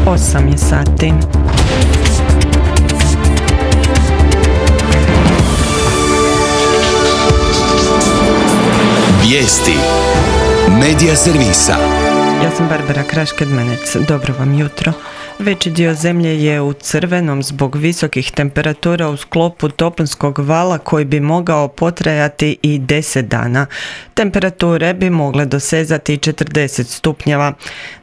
8 je sati. Vijesti Medija servisa. Ja sam Barbara Kraš-Kedmenec. Dobro vam jutro. Veći dio zemlje je u crvenom zbog visokih temperatura u sklopu toplinskog vala koji bi mogao potrajati i 10 dana. Temperature bi mogle dosezati 40 stupnjeva.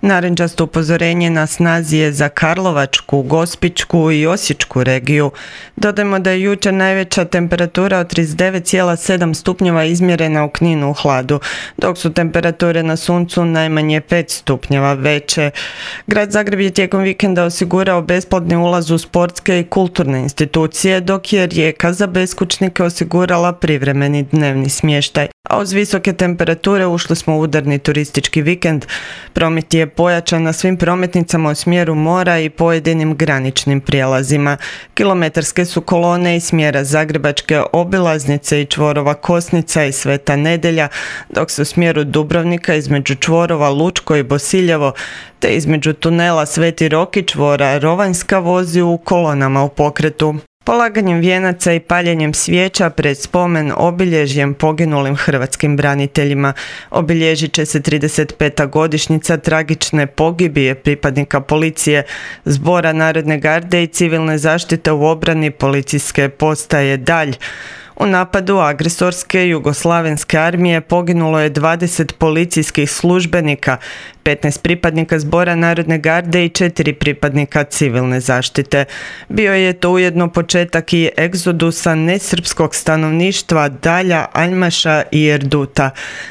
Narančasto upozorenje na snazi je za Karlovačku, Gospićku i Osječku regiju. Dodajmo da je jučer najveća temperatura od 39,7 stupnjeva izmjerena u Kninu u Hladu, dok su temperature na suncu najmanje 5 stupnjeva veće. Grad Zagreb je tijekom vikenda osigurao besplatni ulaz u sportske i kulturne institucije, dok je Rijeka za beskućnike osigurala privremeni dnevni smještaj. A uz visoke temperature ušli smo u udarni turistički vikend. Promet je pojačan na svim prometnicama u smjeru mora i pojedinim graničnim prijelazima. Kilometarske su kolone iz smjera Zagrebačke obilaznice i čvorova Kosnica i Sveta Nedelja, dok se u smjeru Dubrovnika između čvorova Lučko i Bosiljevo te između tunela Sveti Rok i čvora Rovanjska vozi u kolonama u pokretu. Polaganjem vijenaca i paljenjem svijeća pred spomen obilježjem poginulim hrvatskim braniteljima obilježit će se 35. godišnjica tragične pogibije pripadnika policije, Zbora narodne garde i civilne zaštite u obrani policijske postaje Dalj. U napadu agresorske jugoslavenske armije poginulo je 20 policijskih službenika, 15 pripadnika Zbora narodne garde i 4 pripadnika civilne zaštite. Bio je to ujedno početak i egzodusa nesrpskog stanovništva Dalja, Aljmaša i Erduta.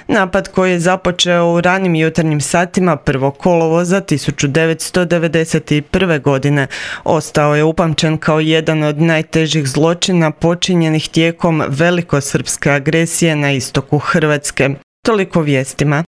Napad koji je započeo u ranim jutarnjim satima 1. kolovoza 1991. godine ostao je upamćen kao jedan od najtežih zločina počinjenih tijekom velikosrpske agresije na istoku Hrvatske. Toliko vijestima.